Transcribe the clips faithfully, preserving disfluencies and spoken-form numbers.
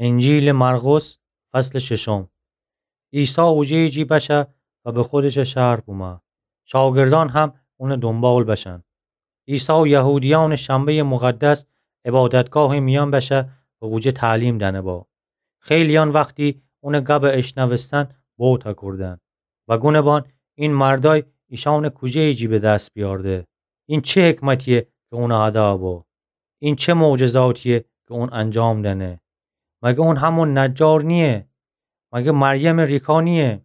انجیلٚ مرقس، فصلٚ ششم. عیسی اوجه‌یٚ جی بشه و به خودشٚ شهر بومه. شاگردأن هم اونٚ دونبال بشن. عیسی یهودیأنٚ شنبه‌یٚ مقدس عبادتگاهٚ میأن بشه و اوجه تعلیم دأنه با. خیلیأن وختی اونٚ گبٚ اشنوستن بهت هکردن و گونه بان: این مردأی ایشأنٚ کوجه‌یٚ جی به دس بیأرده؟ این چه حکمتییه کی اون هده با؟ این چه معجزاتییه کی اون انجام دأنه؟ مگه اون همون نجار نییه؟ مگه مریمٚ ریکا نییه؟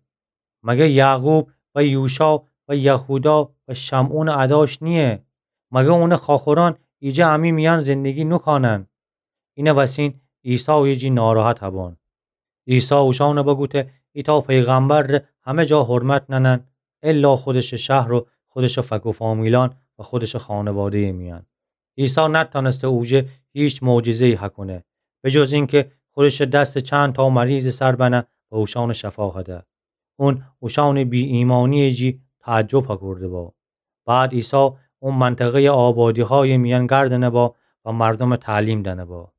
مگه یعقوب و یوشا و یهودا و شمعونٚ اداش نییه؟ مگه اونٚ خواخورأن ایجه امی میأن زندگی نوکانن؟ اینٚ وسین عیسایٚ جی ناراحت هبان. عیسی اوشأنٚ بگوته: ایتأ پیغمبر ره همه جا حرمت نأنن، الا خودشٚ شهر و خودشٚ فک و فامیلأن و خودشٚ خانواده‌یٚ میأن. عیسی نتأنسته اوجه هیچ معجزه‌یی هکونه، به جز اینکی خودشٚ دس چند تا مریضٚ سر بنه و اوشأنٚ شفا هده. اون اوشأنٚ بی‌ایمأنییٚ جی تعجب هکرده با. بعد عیسی او منطقه‌یٚ آبادیهایٚ میأن گردنه با و مردومٚ تعلیم دأنه با.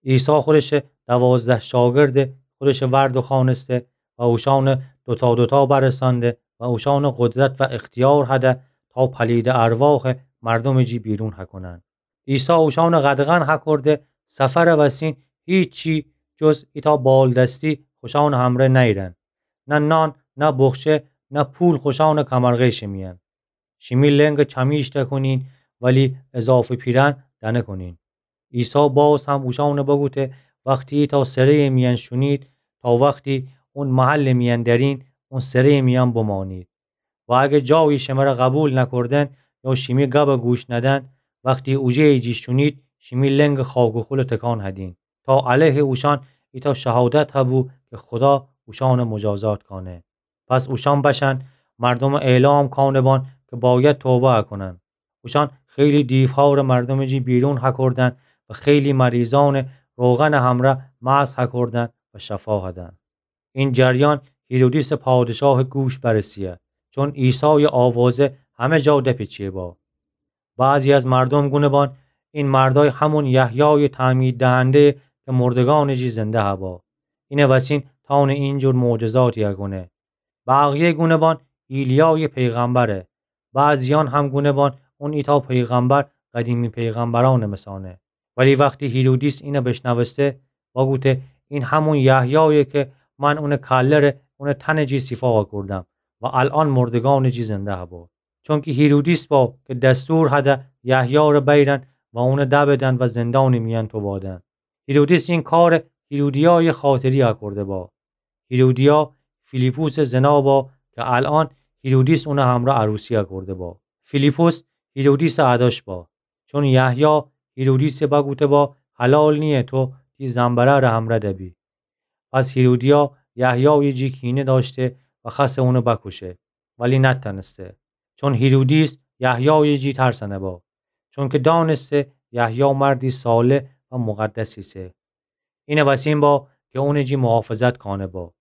عیسی خودشٚ دوازده شاگردٚ خودشٚ ور دوخوأنسته و اوشأن دوتا دوتا برسأنده و اوشأن قدرت و اختیار هده تا پلیدٚ ارواحٚ مردومٚ جی بیرون هکونن. عیسی اوشأن قدغن هکرده سفرٚ وسین هیچی جز ایتأ بالدستی خوشأنٚ همره نیرن. نه نان، نه بخچه، نه پول خوشأنٚ کمرغیشٚ میأن. شیمی لنگٚ کمیش دکونین، ولی اضافه پیرأن دنکونین. عیسی باز هم اوشأنٚ بگوته: وختی ایتأ سره‌یٚ میأن شونید، تا وختی اون محلٚ میأن درین، اون سره‌یٚ میأن بمأنید. و اگر جایی شمره قبول نکردن یا شیمی گبٚ گوش ندن، وختی اوجه‌یٚ جی شونید، شیمی لنگٚ خاک و خولٚ تکان هدین، تا علیه اوشأن ایتأ شهادت هبو کی خودا اوشأنٚ مجازات کانه. پس اوشأن بشن مردومٚ اعلام کانه بان کی باید توبه هکونن. اوشأن خیلی دیوهارٚ مردومٚ جی بیرون هکردن و خیلی مریضأنٚ روغنٚ همره مسح هکردن و شفا هدن. این جریان هیرودیسٚ پادشاهٚ گوش برسه‌یه، چون عیسایٚ آوازه همه جا دپیچه با. بعضی از مردوم گونه بان: این مردأی همون یحیایٚ تعمید دهنده‌یه کی مردگأنٚ جی زنده هبا. اینٚ وسین تأونه اینجور معجزاتی هکونه. بقیه گونه بان: ایلیایٚ پیغمبره. بعضیأن هم گونه بان: اون ایتأ پیغمبر قدیمی پیغمبرأنٚ مثانه. ولی وختی هیرودیس اینه بشنوسته، بگوته: این همون یحیایه کی من اونٚ کله ره اونٚ تنٚ جی سیفا کردم و الأن مردگأنٚ جی زنده هبا. چونکی هیرودیس با کی دستور هده یحیی ره بیرن و اونه دبدن و زندانٚ میأن توبادن. هیرودیس این کاره هیرودیایٚ خاطری اکرده با. هیرودیا فیلیپوسٚ زنا با کی الأن هیرودیس اونٚ همرأ عروسی اکرده با. فیلیپوس هیرودیسٚ اداش با. چون یحیی هیرودیسٚ بگوته با: حلال نییه تو تی زن‌برأرٚ همرأ دبی. پس هیرودیا یحیایٚ جی کینه دأشته و خوأسته اونه بکوشه، ولی نتأنسته. چون هیرودیس یحیایٚ جی ترسأنه با، چونکی دأنسته یحیی مردی صالح و مقدس ایسه. اینٚ وسین با کی اونٚ جی محافظت کانه با.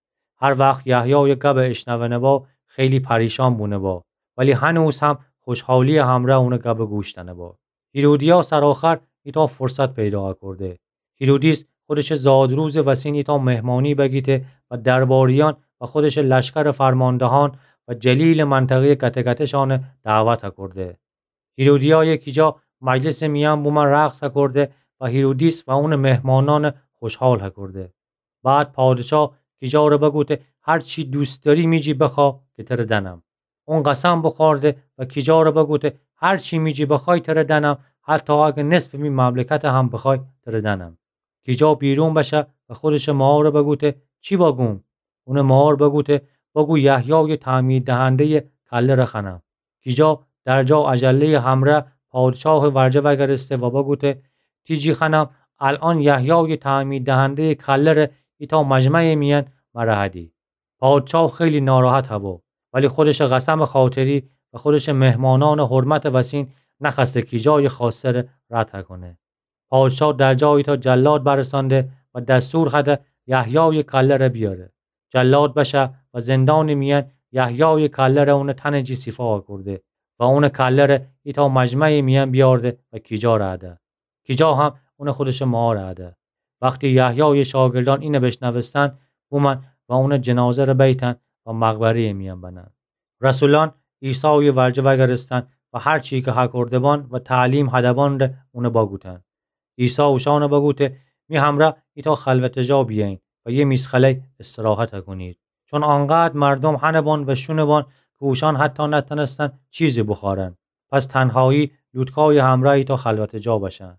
هر وخت یحیایٚ گبٚ اشنوأنه با، خیلی پریشان بونه با، ولی هنوز هم خوشحالییٚ همرأ اونٚ گبٚ گوش دأنه با. هیرودیا سرآخر ایتأ فرصت پیدا اکرده. هیرودیس خودشٚ زادروزٚ وسین ایتأ مهمانی بگیته و درباریأن و خودشٚ لشکرٚ فرماندهأن و جلیلٚ منطقه‌یٚ گته‌گته‌شأنٚ دعوت اکرده. هیرودیایٚ کیجا مجلسٚ میأن بومه رقص اکرده و هیرودیس و اونٚ مهمانأنٚ خوشحال اکرده. بعد پادشا کیجا ره بگوته: هر چی دوست دأری می جی بخوأ کی تره دأنم. اون قسم بوخورده و کیجا ره بگوته: هر چی می جی بخوأی تره دأنم، حتی اگر نصفٚ می مملکت هم بخوأی تره دأنم. کیجا بیرون بشه و خودشٚ ماهوره بگوته: چی بگوم؟ اونٚ ماهور بگوته: بگو یحیایٚ تعمید دهنده‌یٚ کله ره خوأنم. کیجا درجا عجله‌یٚ همرأ پادشاهٚ ورجه وأگرسته و بگوته: تی جی خوأنم الأن یحیایٚ تعمید دهنده‌یٚ کله ره ایتأ مجمعٚ میأن مره هدی. پادشا خیلی ناراحت هبو، ولی خودشٚ قسمٚ خاطری و خودشٚ مهمانأنٚ حرمتٚ وسین نخوأسته کیجایٚ خوأسته ره رد هکونه. پادشا درجا ایتأ جلاد برسأنده و دستور هده یحیایٚ کله ره بیأره. جلاد بشه و زندانٚ میأن یحیایٚ کله ره اونٚ تنٚ جی سیفا اکرده و اونٚ کله ره ایتأ مجمعٚ میأن بیأرده و کیجا ره هده. کیجا هم اونٚ خودشٚ ماهوره هده. وختی یحیایٚ شاگردأن اینه بیشنوستن، بومأن و اونٚ جنازه‌ره بیتن و مقبره‌یٚ میأن بنن. رسولأن عیسایٚ ورجه وأگردستن و هر چی کی هکرده‌بان و تعلیم هده‌بانٚ ره اونه بگوتن. عیسی اوشأنه بگوته: می همرأ ایتأ خلوتٚ جا بیأیین و یه میز خلأی استراحت کونید. چون آنقدر مردوم هنه‌بان و شونه‌بان کی اوشأن حتی نتأنستن چیزی بوخوأرن. پس تنهایی لوطکایٚ همرأ ایتأ خلوتٚ جا بشن.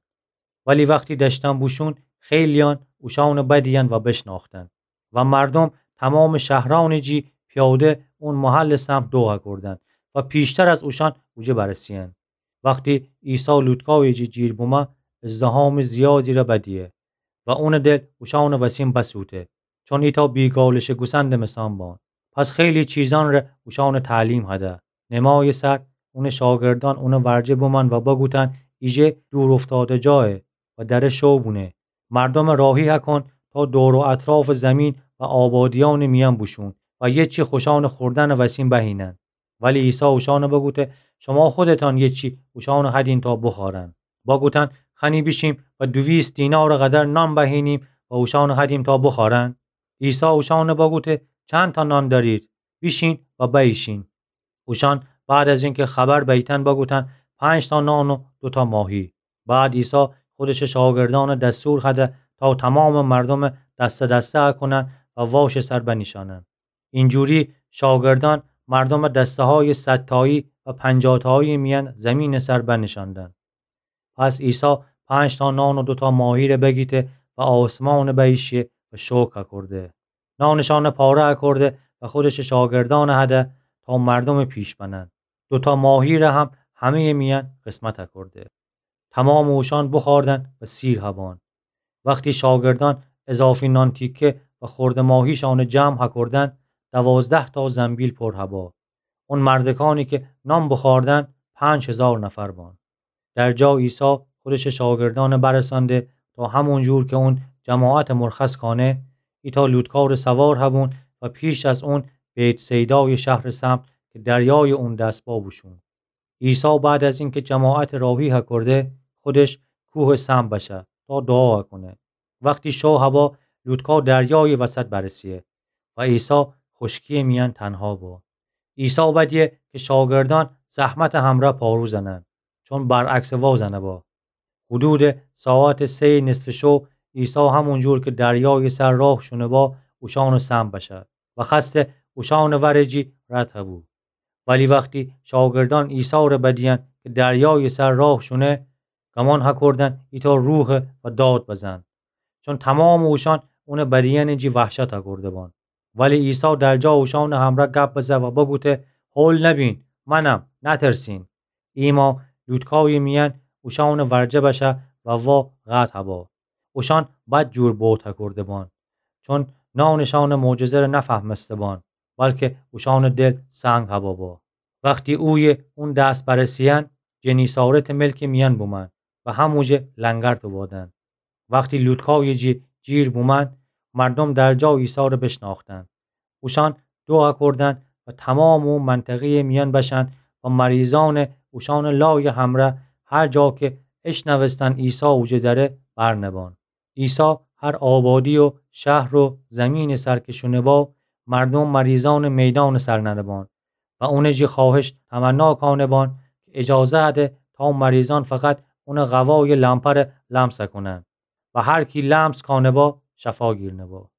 ولی وختی دأشتن بوشون، خیلییأن اوشأنه بدیین و بیشنأختن. و مردوم تومامٚ شهرأنٚ جی پیاده اون محلٚ سمت دوغ کودن و پیشتر از اوشأن اوجه برسه‌یین. وختی عیسی لوطکایٚ جی جیر بومه، ازدحامٚ زیادی ره بدیه و اونٚ دل اوشأنٚ وسین بسوته، چون ایتأ بیگالشه گوسندٚ مسان بان. پس خیلی چیزأن ره اوشأنه تعلیم هده. نمایٚ سر اونٚ شاگردأن اونٚ ورجه بومأن و بگوتن: ایجه دور افتاده جایه و دره شو بونه. مردومه راهی هکون تا دور و اطرافٚ زیمین و آبادیأنٚ میأن بوشون و یه چی خوشأنٚ خوردنٚ وسین بهینن. ولی عیسی اوشأنه بگوته: شوما خودتأن یه چی اوشأنه هدین تا بوخوأرن. بگوتن: خنی بیشیم و دویست دینارٚ قدر نان بهینیم و اوشأنه هدیم تا بوخوأرن؟ عیسی اوشأنه بگوته: چندتأ نان دأرید؟ بیشین و بأیشین. اوشأن بعد از اینکه خبر بیتن بگوتن: پنجتأ نان و دوتأ ماهی. بعد عیسی خودشٚ شاگردأنه دستور هده تا تومامٚ مردومه دسته دسته کونن و واشٚ سر بنیشأنن. اینجوری شاگردأن مردومه دسته‌هایٚ صدتایی و پنجاه‌تایی‌یٚ میأن زیمینٚ سر بنیشأندن. پس عیسی پنجتأ نان و دوتأ ماهی‌ره بگیته و آسمانٚ بأییشه و شوکر کورده. نانشأنه پاره اکورده و خودشٚ شاگردأنه هده تا مردومٚ پیش بنن. دوتأ ماهی‌ره هم همه‌یٚ میأن قسمت اکورده. تومامٚ اوشأن بوخوردن و سیر هبان. وختی شاگردأن اضافی نان تیکه و خورده ماهیشأنه جمع هکوردن، دوازده‌تأ زنبیل پور هبا. اون مردکأنی که نان بوخوردن پنج هیزار نفر بان. در جا عیسی خودشٚ شاگردأنه برسأنده تا همون جور که اون جماعته مرخص کانه، ایتأ لوطکارٚ سوار هبون و پیش از اون بیت‌صیدایٚ شهرٚ سمت که دریایٚ اون دست با بوشون. عیسی بعد از اینکه جماعته راهی هکورده، خودش کوهٚ سمت بشه تا دوعا هکونه. وختی شو هبا، لوطکا دریایٚ وسط برسه و عیسی خوشکی‌یٚ میأن تنها با. عیسی بدیه که شاگردأن زحمتٚ همرأ پارو زنن، چون برعکسٚ وا زنه با. حدودٚ ساعتٚ سه‌یٚ نصفٚ شو، عیسی همون جور که دریایٚ سر راه شونه با، اوشأنٚ سمت بشه و خوأسته اوشأنٚ ورٚ جی رد هبو. ولی وختی شاگردأن عیسی‌ره بدیأن که دریایٚ سر راه شونه، گمان هکوردن ایتأ روحه و داد بزن، چون تومامٚ اوشأن اونٚ بدیأنٚ جی وحشت هکورده بان. ولی عیسی در جا اوشأنٚ همرأ گپ بزه و بگوته: هول نبین، منم، نترسین. ایما لوطکایٚ میأن اوشأنٚ ورجه بشه و وا قطع هبا. اوشأن بدجور بهت هکورده بان، چون نانشأنٚ معجزه‌ره نفهمسته بان، بلکه اوشأنٚ دل سنگ هبا با. وختی اویه اون دس برسه‌یأن، جنیسارتٚ ملکٚ میأن بومأن و هموجه لنگر توبادن. وختی لوطکایٚ جی جیر بومأن، مردوم در جا عیسی‌ره بیشنأختن. اوشأن دوعا کوردن و تومامٚ او منطقه‌یٚ میأن بشأن و مریضأنه اوشأنٚ لایٚ همرأ هر جا که اشنوستن عیسی اوجه دره برنبان. عیسی هر آبادی و شهر و زیمینٚ سر که شونه با، مردوم مریضأنٚ میدانٚ سر ننه بان و اونٚ جی خوأهش تمنا کانه بان که اجازه هده تا مریضأن فقط اونٚ قوایٚ لمپره لمس کونن و هر کی لمس کانه با شفا گیرنه با.